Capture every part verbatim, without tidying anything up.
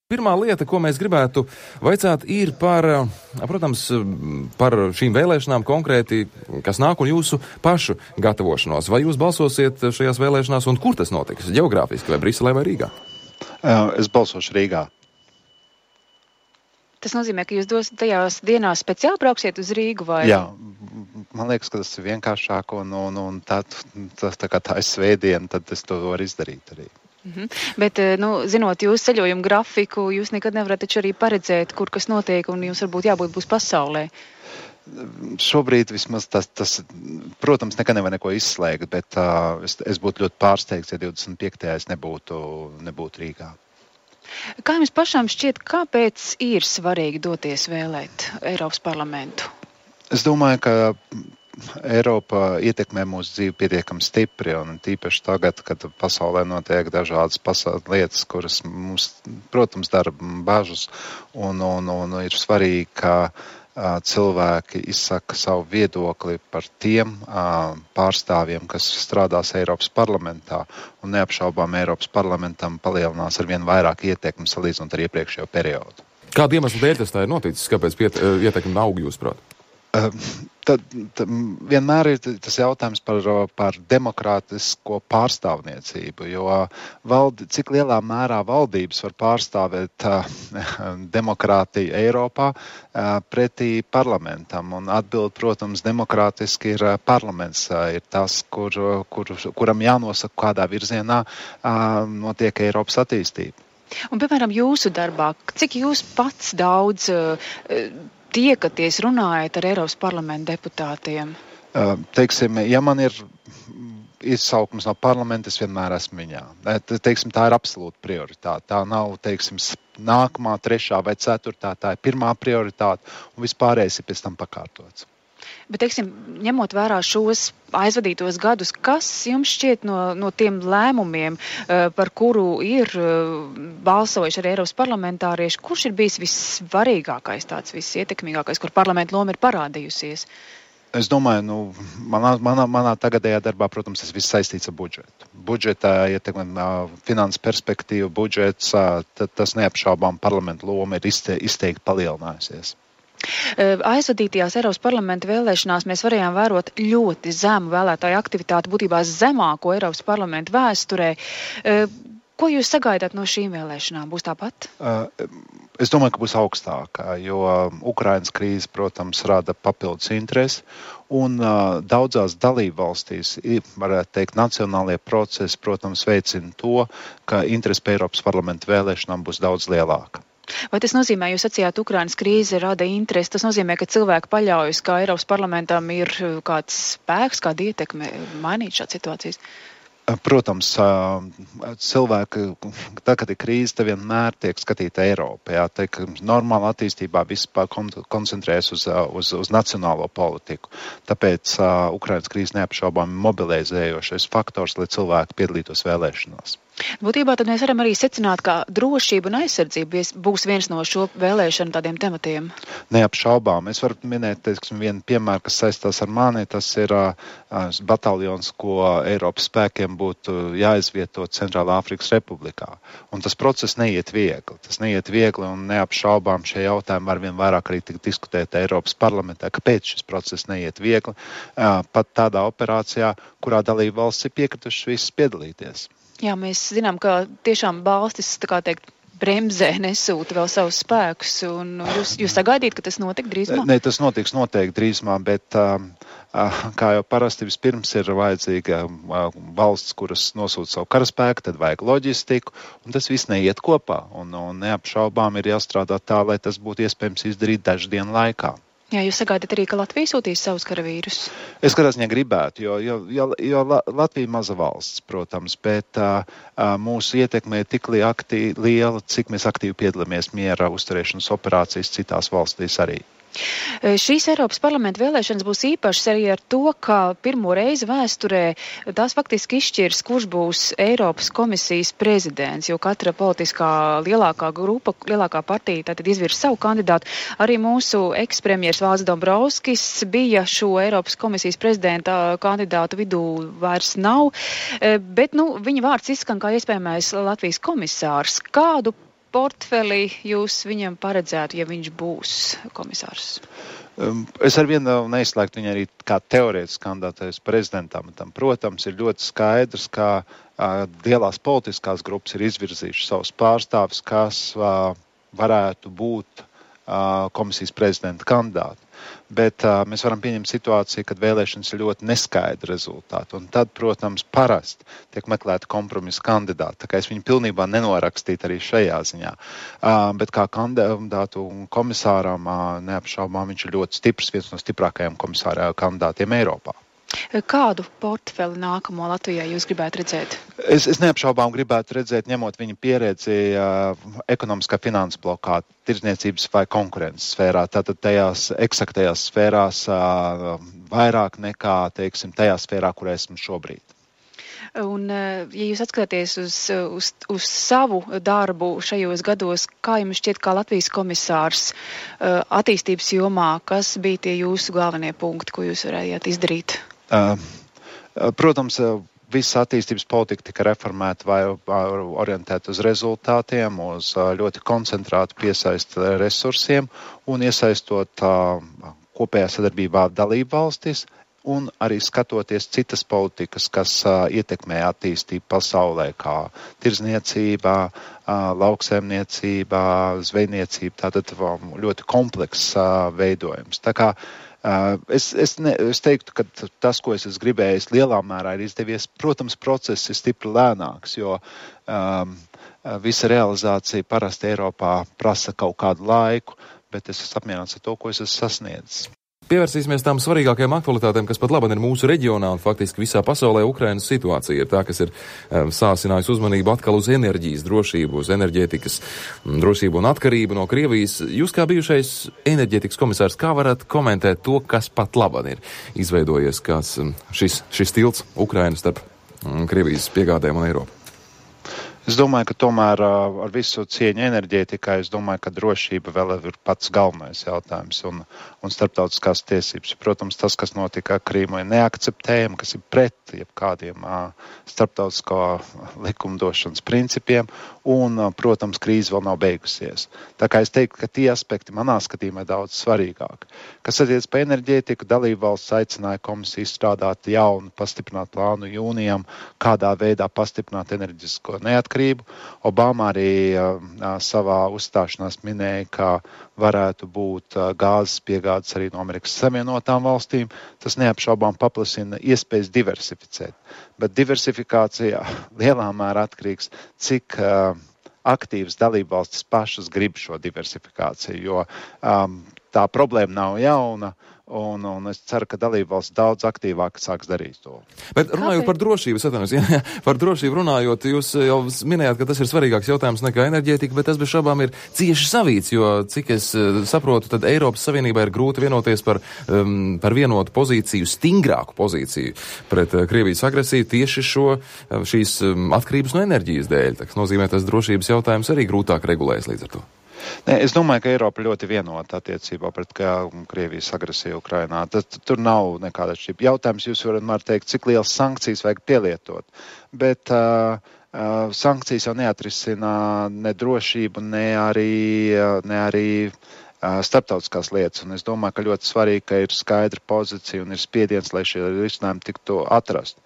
Pirmā lieta, ko mēs gribētu vaicāt, ir par, protams, par šīm vēlēšanām konkrēti, kas nāk un jūsu pašu gatavošanos. Vai jūs balsosiet šajās vēlēšanās un kur tas notiks? Geogrāfiski vai Briselē vai Rīgā? Es balsošu Rīgā. Tas nozīmē, ka jūs dos tajās dienās speciāli brauksiet uz Rīgu vai? Jā, man liekas, ka tas ir vienkāršāk un, un, un tā, tā, tā kā tā ir svētdiena, tad es to varu izdarīt arī. Mhm. Bet, nu, zinot jūsu ceļojumu grafiku, jūs nekad nevarat taču arī paredzēt, kur kas notiek, un jums varbūt jābūt būs pasaulē. Šobrīd vismaz tas, tas protams, nekad nevar neko izslēgt, bet uh, es, es būtu ļoti pārsteigts, ja divdesmit piektajā es nebūtu, nebūtu Rīgā. Kā jums pašām šķiet, kāpēc ir svarīgi doties vēlēt Eiropas parlamentu? Es domāju, ka Eiropa ietekmē mūsu dzīvi pietiekami stipri, un tīpaši tagad, kad pasaulē notiek dažādas pasaules lietas, kuras mums, protams, dara bažas, un, un, un ir svarīgi, ka uh, cilvēki izsaka savu viedokli par tiem uh, pārstāvjiem, kas strādās Eiropas parlamentā, un neapšaubām Eiropas parlamentam palielinās ar vien vairāk ietekmi salīdzinot ar iepriekšējo periodu. Kādu iemeslu dēļ tas tā ir noticis? Kāpēc piet, ietekmi aug, jūsuprāt? Tad, tad vienmēr ir tas jautājums par, par demokrātisko pārstāvniecību, jo valdi, cik lielā mērā valdības var pārstāvēt uh, demokrātiju Eiropā uh, pretī parlamentam. Un atbild, protams, demokrātiski ir uh, parlaments, uh, ir tas, kur, kur, kuram jānosaka, kādā virzienā uh, notiek Eiropas attīstība. Un, piemēram, jūsu darbā, cik jūs pats daudz uh, tiekaties, runājat ar Eiropas parlamenta deputātiem? Uh, teiksim, ja man ir izsaukums no parlamenta, es vienmēr esmu viņā. Teiksim, tā ir absolūta prioritāte. Tā nav, teiksim, nākamā, trešā vai ceturtā, tā ir pirmā prioritāte, un vispārējais ir pēc tam pakārtots. Bet, teiksim, ņemot vērā šos aizvadītos gadus, kas jums šķiet no, no tiem lēmumiem, par kuru ir balsojuši arī Eiropas parlamentārieši, kurš ir bijis vissvarīgākais, tāds visietekmīgākais, kur parlamenta loma ir parādījusies? Es domāju, nu, manā, manā, manā tagadējā darbā, protams, tas viss saistīts ar budžetu. Budžetā ietekmē finanses perspektīvu, budžets, tas neapšaubām parlamenta loma ir izteikti palielinājusies. Aizvadītajās Eiropas parlamenta vēlēšanās mēs varējām vērot ļoti zemu vēlētāju aktivitāti, būtībā zemāko Eiropas parlamenta vēsturē. Ko jūs sagaidāt no šīm vēlēšanām? Būs tāpat? Es domāju, ka būs augstākā, jo Ukrainas krīze, protams, rada papildus interesi, un daudzās dalībvalstīs, varētu teikt, nacionālie procesi, protams, veicina to, ka interesi pie Eiropas parlamenta vēlēšanām būs daudz lielāka. Vai tas nozīmē, jūs sacījāt, Ukrainas krīze rada interesi, tas nozīmē, ka cilvēki paļaujas, ka Eiropas parlamentam ir kāds spēks, kāda ietekme mainīt šādas situācijas? Protams, cilvēki, tā, kad ir krīze, te vienmēr tiek skatīta Eiropa. Jā, tiek normāla attīstībā vispār koncentrējas uz, uz, uz nacionālo politiku. Tāpēc uh, Ukrainas krīze neapšaubām mobilizējošais faktors, lai cilvēki piedalītos vēlēšanās. Būtībā tad mēs varam arī secināt, ka drošība un aizsardzība būs viens no šo vēlēšanu tādiem tematiem. Neapšaubām. Es varu minēt, teiksim, vienu piemēru, kas saistās ar mani. Tas ir uh, bataljons, ko Eiropas spēkiem būtu jāizvieto Centrālā Afrikas Republikā. Un tas process neiet viegli. Tas neiet viegli un neapšaubām šie jautājumi var vien vairāk arī tik diskutēt Eiropas parlamentā, kāpēc šis process neiet viegli. Uh, pat tādā operācijā, kurā dalība valsts ir piekritušas visas piedalīties. Jā, mēs zinām, ka tiešām valstis, tā kā teikt, bremzē nesūta vēl savus spēkus, un jūs, jūs sagaidīt, ka tas notiek drīzumā? Ne, tas notiks noteikti drīzumā, bet um, kā jau parasti vispirms ir vajadzīga valsts, kuras nosūta savu karaspēku, tad vajag loģistiku, un tas viss neiet kopā, un, un neapšaubām ir jāstrādā tā, lai tas būtu iespējams izdarīt dažu dienu laikā. Jā, jūs sagaidat arī, ka Latvija sūtīs savus karavīrus? Es katrā ziņā gribētu, jo, jo, jo, jo Latvija maza valsts, protams, bet uh, mūsu ietekme ir tik aktīvi, liela, cik mēs aktīvi piedalāmies miera uzturēšanas operācijas citās valstīs arī. Šīs Eiropas parlamenta vēlēšanas būs īpašas arī ar to, ka pirmo reizi vēsturē tās faktiski izšķirs, kurš būs Eiropas komisijas prezidents, jo katra politiskā lielākā grupa, lielākā partija tātad izvirs savu kandidātu. Arī mūsu ekspremjers Valdis Dombrovskis bija šo Eiropas komisijas prezidenta kandidātu vidū vairs nav, bet nu, viņa vārds izskan kā iespējamais Latvijas komisārs. Kādu portfeli jūs viņam paredzētu, ja viņš būs komisārs? Es ar vienu neizslēgtu viņu arī kā teorētisku kandidātais prezidentam. Protams, ir ļoti skaidrs, ka uh, lielās politiskās grupas ir izvirzījušas savus pārstāvis, kas uh, varētu būt uh, komisijas prezidenta kandidāti. Bet uh, mēs varam pieņemt situāciju, kad vēlēšanas ir ļoti neskaidri rezultāti. Un tad, protams, parasti tiek meklēta kompromisa kandidāti. Tā kā es viņu pilnībā nenorakstītu arī šajā ziņā. Uh, bet kā kandidātu komisāram uh, neapšaubām viņš ir ļoti stiprs, viens no stiprākajiem komisāra kandidātiem Eiropā. Kādu portfeli nākamo Latvijā jūs gribētu redzēt? Es, es neapšaubām gribētu redzēt, ņemot viņa pieredzi uh, ekonomiskā finanses blokā, tirdzniecības vai konkurences sfērā, tātad tajās eksaktajās sfērās uh, vairāk nekā, teiksim, tajā sfērā, kur esmu šobrīd. Un, ja jūs atskatāties uz, uz, uz savu darbu šajos gados, kā jums šķiet, kā Latvijas komisārs uh, attīstības jomā, kas bija tie jūsu galvenie punkti, ko jūs varējāt izdarīt? Uh, protams, visa attīstības politika tika reformēta vai orientēta uz rezultātiem, uz ļoti koncentrētu piesaistu resursiem un iesaistot uh, kopējā sadarbībā dalību valstis un arī skatoties citas politikas, kas uh, ietekmē attīstību pasaulē, kā tirdzniecībā, uh, lauksaimniecībā, zvejniecība, tātad ļoti komplekss uh, veidojums. Tā kā Uh, es, es, ne, es teiktu, ka tas, ko es esmu gribējis, lielā mērā ir izdevies. Protams, process ir stipri lēnāks, jo um, visa realizācija parasti Eiropā prasa kaut kādu laiku, bet es esmu apmierināts ar to, ko es esmu sasniedzis. Pievērsīsimies tām svarīgākajām aktualitātēm, kas pat labi ir mūsu reģionā un faktiski visā pasaulē. Ukrainas situācija ir tā, kas ir um, sāsinājusi uzmanību atkal uz enerģijas drošību, uz enerģētikas um, drošību un atkarību no Krievijas. Jūs kā bijušais enerģētikas komisārs, kā varat komentēt to, kas pat labi ir izveidojies, kas um, šis, šis tilts Ukrainas starp um, Krievijas piegādēm un Eiropu? Es domāju, ka tomēr ar visu cieņu enerģētikai, es domāju, ka drošība vēl ir pats galvenais jautājums un, un starptautiskās tiesības. Protams, tas, kas notika Krīmā, ir neakceptējami, kas ir pret jebkādiem starptautisko likumdošanas principiem un, protams, krīze vēl nav beigusies. Tā kā es teiktu, ka tie aspekti manā skatījumā ir daudz svarīgāk. Kas attiec pa enerģētiku, dalību valsts aicināja komisiju izstrādāt jaunu pastiprinātu plānu jūnijam, kādā veidā pastiprināt enerģisko neatkarību. Obama arī uh, savā uzstāšanās minēja, ka varētu būt uh, gāzes piegādes arī no Amerikas Savienotām valstīm. Tas neapšaubām paplasina iespējas diversificēt. Bet diversifikācija lielā mērā atkarīgs, cik uh, aktīvas dalībvalstis pašas grib šo diversifikāciju, jo um, tā problēma nav jauna. Un, un es ceru, ka dalībvalsts daudz aktīvāk sāks darīt to. Bet runājot Kāpēc? par drošību, atvainojos, jā, jā, par drošību runājot, jūs jau minējāt, ka tas ir svarīgāks jautājums nekā enerģētika, bet tas bez šaubām ir cieši savīts, jo, cik es saprotu, tad Eiropas Savienībā ir grūti vienoties par, um, par vienotu pozīciju, stingrāku pozīciju pret uh, Krievijas agresiju tieši šo, uh, šīs um, atkarības no enerģijas dēļ. Tas nozīmē, tas drošības jautājums arī grūtāk regulējas līdz ar to. Ne, es domāju, ka Eiropa ļoti vienota attiecībā pret Krievijas agresiju Ukrainā. Tas, tur nav nekāda šķība. Jautājums jūs varat teikt, cik lielas sankcijas vajag pielietot. Bet uh, uh, sankcijas jau neatrisina ne drošību, ne arī, uh, ne arī uh, starptautiskās lietas. Un es domāju, ka ļoti svarīgi, ka ir skaidra pozīcija un ir spiediens, lai šie risinājumi tiktu atrast.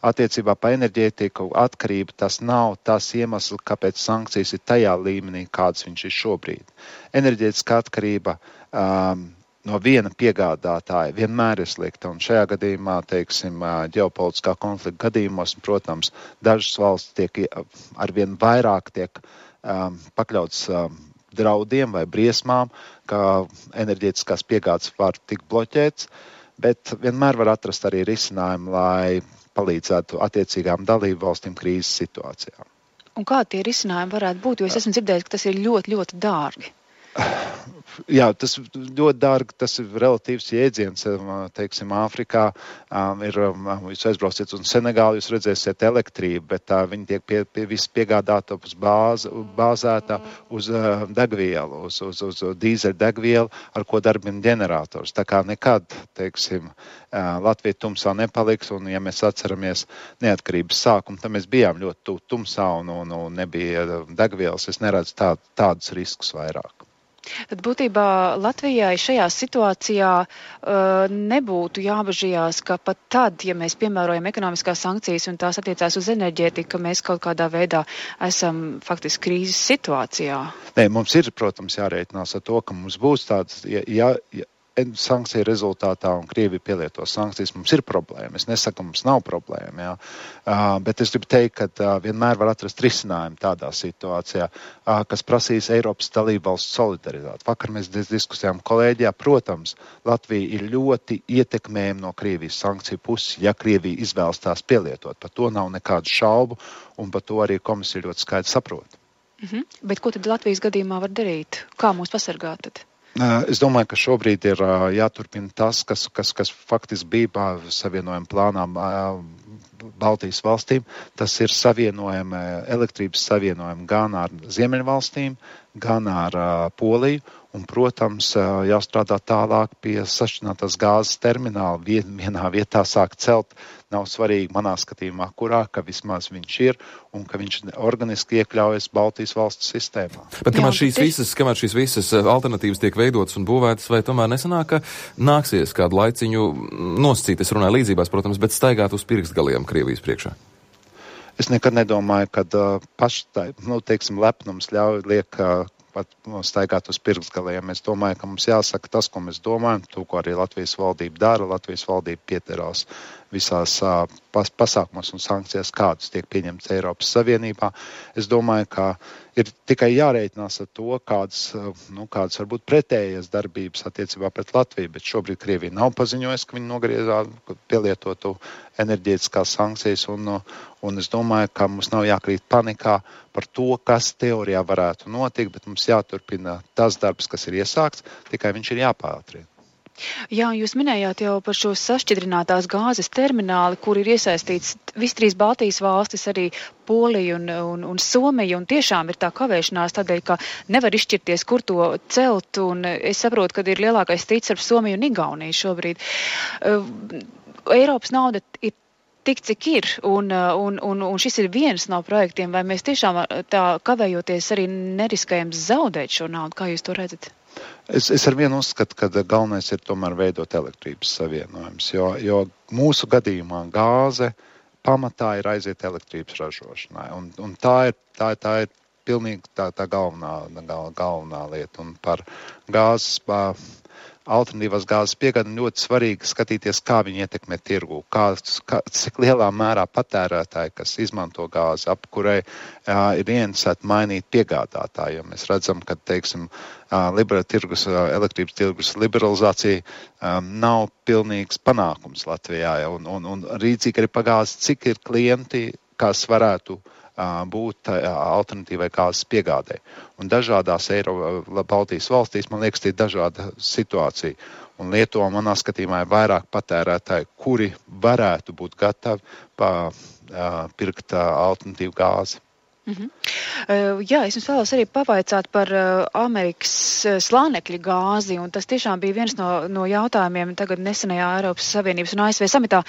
Attiecībā pa enerģētiku atkarība tas nav tas iemesls, kāpēc sankcijas ir tajā līmenī, kāds viņš ir šobrīd. Enerģētiskā atkarība um, no viena piegādātāja vienmēr ir slikta, un šajā gadījumā, teiksim, ģeopolitiskā konflikta gadījumos, protams, dažas valsts tiek arvien vairāk tiek um, pakļauts um, draudiem vai briesmām, ka enerģētiskās piegādes var tikt bloķēts, bet vienmēr var atrast arī risinājumu, lai palīdzētu attiecīgām dalību valstīm krīzes situācijā. Un kā tie risinājumi varētu būt? Jo es esmu dzirdējis, ka tas ir ļoti, ļoti dārgi. Jā, tas ļoti dārgi, tas ir relatīvs jēdziens, teiksim, Āfrikā um, ir, um, jūs aizbrauciet uz Senegālu, jūs redzēsiet elektrību, bet tā viņi tiek pie, pie viss piegādāta uz bāz, bāzēta uz uh, degvielu, uz, uz, uz dīzeļu degvielu, ar ko darbina ģenerators. Tā kā nekad, teiksim, uh, Latvija tumsā nepaliks, un ja mēs atceramies neatkarības sākumu, tad mēs bijām ļoti tumsā un, un, un nebija degvielas, es neredzu tā, tādus riskus vairāk. Tad būtībā Latvijai šajā situācijā uh, nebūtu jābažījās, ka pat tad, ja mēs piemērojam ekonomiskās sankcijas un tās attiecās uz enerģētiku, ka mēs kaut kādā veidā esam faktiski krīzes situācijā. Nē, mums ir, protams, jārēķinās ar to, ka mums būs tāds, ja, ja, ja sankciju rezultātā un Krievija pielieto sankcijas, mums ir problēma. Es nesaku, mums nav problēma, jā. Uh, bet es gribu teikt, ka uh, vienmēr var atrast risinājumu tādā situācijā, uh, kas prasīs Eiropas dalībvalstu solidaritāti. Vakar mēs diskusējām kolēģijā, protams, Latvija ir ļoti ietekmējama no Krievijas sankciju puses, ja Krievija izvēlas tās pielietot. Par to nav nekādu šaubu, un par to arī komisija ļoti skaidri saprot. Mhm. Bet ko tad Latvijas gadījumā var darīt? Kā mūs pasargāt tad? Es domāju, ka šobrīd ir jāturpina tas, kas, kas, kas faktiski bija savienojuma plānā Baltijas valstīm. Tas ir savienojumi, elektrības savienojumi gan ar Ziemeļvalstīm, gan ar Poliju. Un, protams, jāstrādā tālāk pie sašķidrinātās gāzes termināla. Vienā vietā sāk celt, nav svarīgi manā skatījumā, kurā, ka vismaz viņš ir un ka viņš organiski iekļaujas Baltijas valstu sistēmā. Bet kamēr šīs visas, kamēr šīs visas alternatīvas tiek veidotas un būvētas, vai tomēr nesanāk, ka nāksies kādu laiciņu noscīt, es runāju līdzībās, protams, bet staigāt uz pirkstgaliem Krievijas priekšā? Es nekad nedomāju, ka uh, paštai, nu, teiksim, lepnums ļauj liek uh, pat staigāt uz pirkstgaliem. Es domāju, ka mums jāsaka tas, ko mēs domājam, to, ko arī Latvijas valdība dara. Latvijas valdība pieterās visās uh, pas, pasākumos un sankcijās, kādas tiek pieņemtas Eiropas Savienībā. Es domāju, ka ir tikai jārēķinās ar to, kādas, uh, nu, kādas varbūt pretējas darbības attiecībā pret Latviju, bet šobrīd Krievija nav paziņojusi, ka viņi nogriezā pielietotu enerģētiskās sankcijas, un, un es domāju, ka mums nav jākrīt panikā par to, kas teorijā varētu notikt, bet mums jāturpina tas darbs, kas ir iesākts, tikai viņš ir jāpātrina. Jā, jūs minējāt jau par šo sašķidrinātās gāzes termināli, kur ir iesaistīts visi trīs Baltijas valstis, arī Polija un, un, un Somija, un tiešām ir tā kavēšanās tādēļ, ka nevar izšķirties, kur to celt, un es saprotu, ka ir lielākais strīds ar Somiju un Igauniju šobrīd. Eiropas nauda ir tik, cik ir, un, un, un, un šis ir viens no projektiem, vai mēs tiešām tā kavējoties arī neriskējam zaudēt šo naudu, kā jūs to redzat? Es, es ar vienu uzskatu, ka galvenais ir tomēr veidot elektrības savienojums, jo, jo mūsu gadījumā gāze pamatā ir aiziet elektrības ražošanai, un, un tā ir, tā, tā ir pilnīgi tā, tā galvenā, gal, galvenā lieta, un par gāzes, pa, alternatīvās gāzes piegādi ļoti svarīgi skatīties, kā viņi ietekmē tirgu, kā, kā, cik lielā mērā patērētāji, kas izmanto gāzi, ap kurai jā, ir ieinteresēti mainīt piegādātāju. Jo mēs redzam, ka, teiksim, liberāla tirgus, elektrības tirgus liberalizācija um, nav pilnīgs panākums Latvijā, ja, un, un, un rīdzīgi arī pagāzi, cik ir klienti, kas varētu būt alternatīvai gāzes piegādē. Un dažādās Eiropas Baltijas valstīs, man liekas, ir dažāda situācija. Un Lietuva, manā skatījumā, ir vairāk patērētāji, kuri varētu būt gatavi pa, pirkt alternatīvu gāzi. Mm-hmm. Uh, jā, es jums vēlos arī pavaicāt par uh, Amerikas uh, slānekļa gāzi, un tas tiešām bija viens no, no jautājumiem tagad nesenajā Eiropas Savienības un A S V samitā.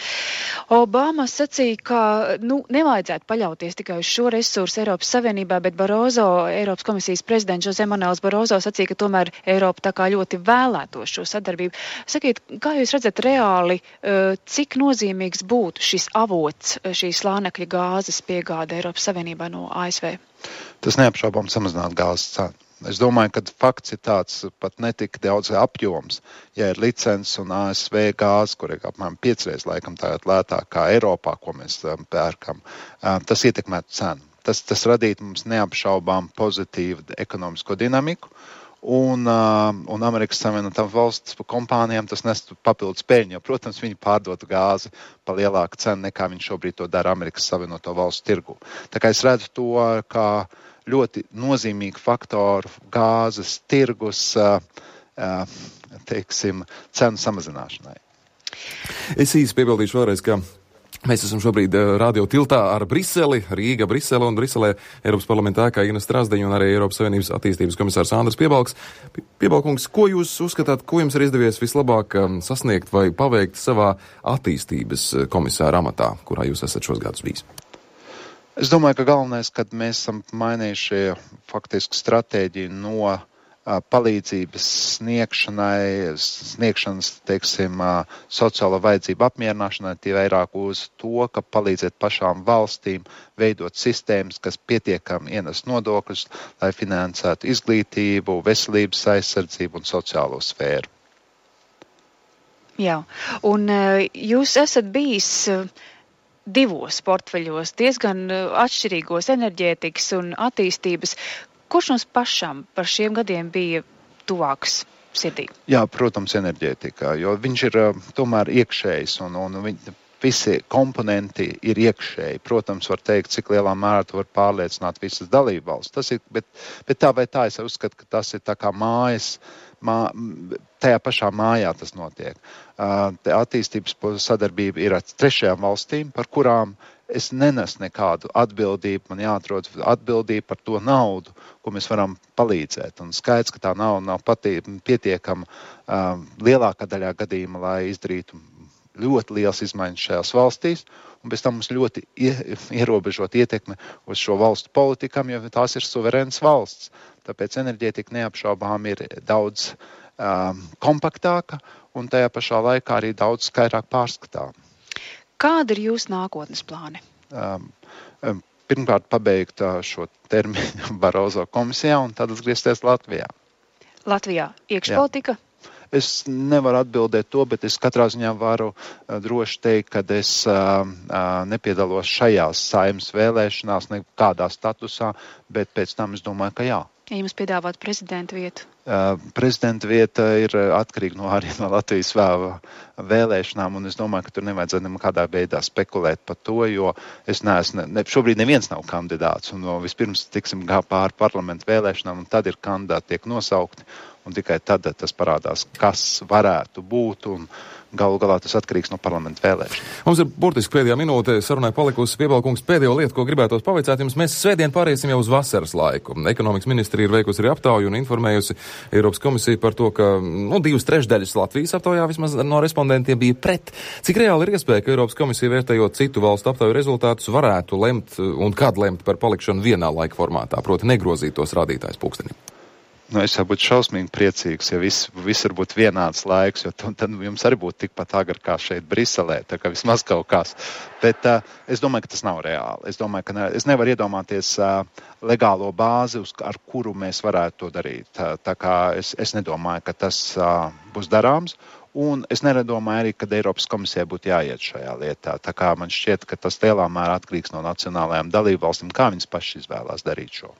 Obama sacīja, ka nu, nevajadzētu paļauties tikai uz šo resursu Eiropas Savienībā, bet Barozo, Eiropas komisijas prezidents Jose Manuels Barozo sacīja, ka tomēr Eiropa tā kā ļoti vēlētos šo sadarbību. Sakiet, kā jūs redzat reāli, uh, cik nozīmīgs būtu šis avots, šī slānekļa gāzes piegāde Eiropas Savienībā no A S V? Tas neapšaubām samazināt gāzes cenu. Es domāju, ka fakts ir tāds pat netik daudz apjoms. Ja ir licences un A S V gāze, kur ir apmēram piecreiz laikam tagad lētāk kā Eiropā, ko mēs pērkam, tas ietekmētu cenu. Tas, tas radītu mums neapšaubām pozitīvu ekonomisko dinamiku. Un, uh, un Amerikas Savienotām valsts kompānijām tas nestu papildus peļņu, jo, protams, viņi pārdotu gāzi pa lielāku cenu, nekā viņi šobrīd to dara Amerikas Savienoto valstu tirgu. Tā kā es redzu to kā ļoti nozīmīgu faktoru gāzes tirgus, teiksim, cenu samazināšanai. Es īsi piebildīšu vēlreiz, ka mēs esam šobrīd radio tiltā ar Briseli, Rīga, Brisele un Briselē Eiropas parlamentā ēkā Ina Strasdeņa un arī Eiropas Savienības attīstības komisārs Andris Piebalgs. Piebalkungs, ko jūs uzskatāt, ko jums ir izdevies vislabāk sasniegt vai paveikt savā attīstības komisāra amatā, kurā jūs esat šos gadus bijis? Es domāju, ka galvenais, kad mēs esam mainījuši faktiski stratēģiju no palīdzības sniegšanai, sniegšanas, teiksim, sociālo vajadzību apmierināšanai, tie vairāk uz to, ka palīdzēt pašām valstīm veidot sistēmas, kas pietiekami ienes nodokļus, lai finansētu izglītību, veselības aizsardzību un sociālo sfēru. Jā, un jūs esat bijis divos portfeļos, diezgan atšķirīgos enerģētikas un attīstības. Kurš mums pašam par šiem gadiem bija tuvāks sirdī? Jā, protams, enerģētikā, jo viņš ir tomēr iekšējs un, un viņ, visi komponenti ir iekšēji. Protams, var teikt, cik lielā mērā tu var pārliecināt visas dalībvalstis. Tas ir, bet, bet tā vai tā es uzskatu, ka tas ir tā kā mājas, mā, tajā pašā mājā tas notiek. Uh, attīstības sadarbība ir ar trešajām valstīm, par kurām es nenesu nekādu atbildību, man jāatrod atbildība par to naudu, ko mēs varam palīdzēt. Un skaidrs, ka tā nauda nav patī, pietiekama um, lielākā daļā gadījuma, lai izdarītu ļoti liels izmaiņas šajās valstīs, un bez tam mums ļoti ierobežot ietekme uz šo valstu politikām, jo tās ir suverēnas valsts. Tāpēc enerģētika neapšaubām ir daudz um, kompaktāka un tajā pašā laikā arī daudz skaidrāk pārskatām. Kāda ir jūsu nākotnes plāni? Um, um, pirmkārt, pabeigt uh, šo termiņu Barozo komisijā un tad atgriezties Latvijā. Latvijā iekšpolitika? Jā. Es nevaru atbildēt to, bet es katrā ziņā varu uh, droši teikt, ka es uh, uh, nepiedalos šajās saeimas vēlēšanās nekādā statusā, bet pēc tam es domāju, ka jā. Ja jums piedāvāt prezidenta vietu? Uh, prezidenta vieta ir atkarīga no arī no Latvijas vēlēšanām, un es domāju, ka tur nevajadzētu nekādā veidā spekulēt par to, jo es neesmu, ne, šobrīd neviens nav kandidāts, un no, vispirms tiksim gā pāri parlamentu vēlēšanām, un tad ir kandidāti tiek nosaukti, un tikai tad tas parādās, kas varētu būt, un galu galā tas atkarīgs no parlamentu vēlēšanām. Mums ir burtiski pēdējā minūte sarunai palikusi. Piebalkungs, pēdējo lietu, ko gribētos pavaicāt jums, mēs svētdien pāriesim jau uz vasaras laiku. Ekonomikas ministrija ir veikusi arī aptauju un informējusi Eiropas komisiju par to, ka nu, divas trešdaļas Latvijas aptaujā vismaz no respondentiem bija pret. Cik reāli ir iespēja, ka Eiropas komisija, vērtējot citu valstu aptauju rezultātus, varētu lemt un kad lemt par palikšanu vienā laika formātā, proti negrozīt tos rādītājus pulkstenim? Nu, es jau būtu šausmīgi priecīgs, ja viss, visur būtu vienāds laiks, jo tad jums arī būtu tikpat agri kā šeit Briselē, tā kā vismaz kaut kas. Bet uh, es domāju, ka tas nav reāli. Es domāju, ka ne, es nevaru iedomāties uh, legālo bāzi, uz, ar kuru mēs varētu to darīt. Tā, tā kā es, es nedomāju, ka tas uh, būs darāms. Un es nedomāju arī, ka Eiropas komisijai būtu jāiet šajā lietā. Tā kā man šķiet, ka tas lielā mērā atkarīgs no nacionālajām dalībvalstīm, kā viņas paši izvēlās darīt šo.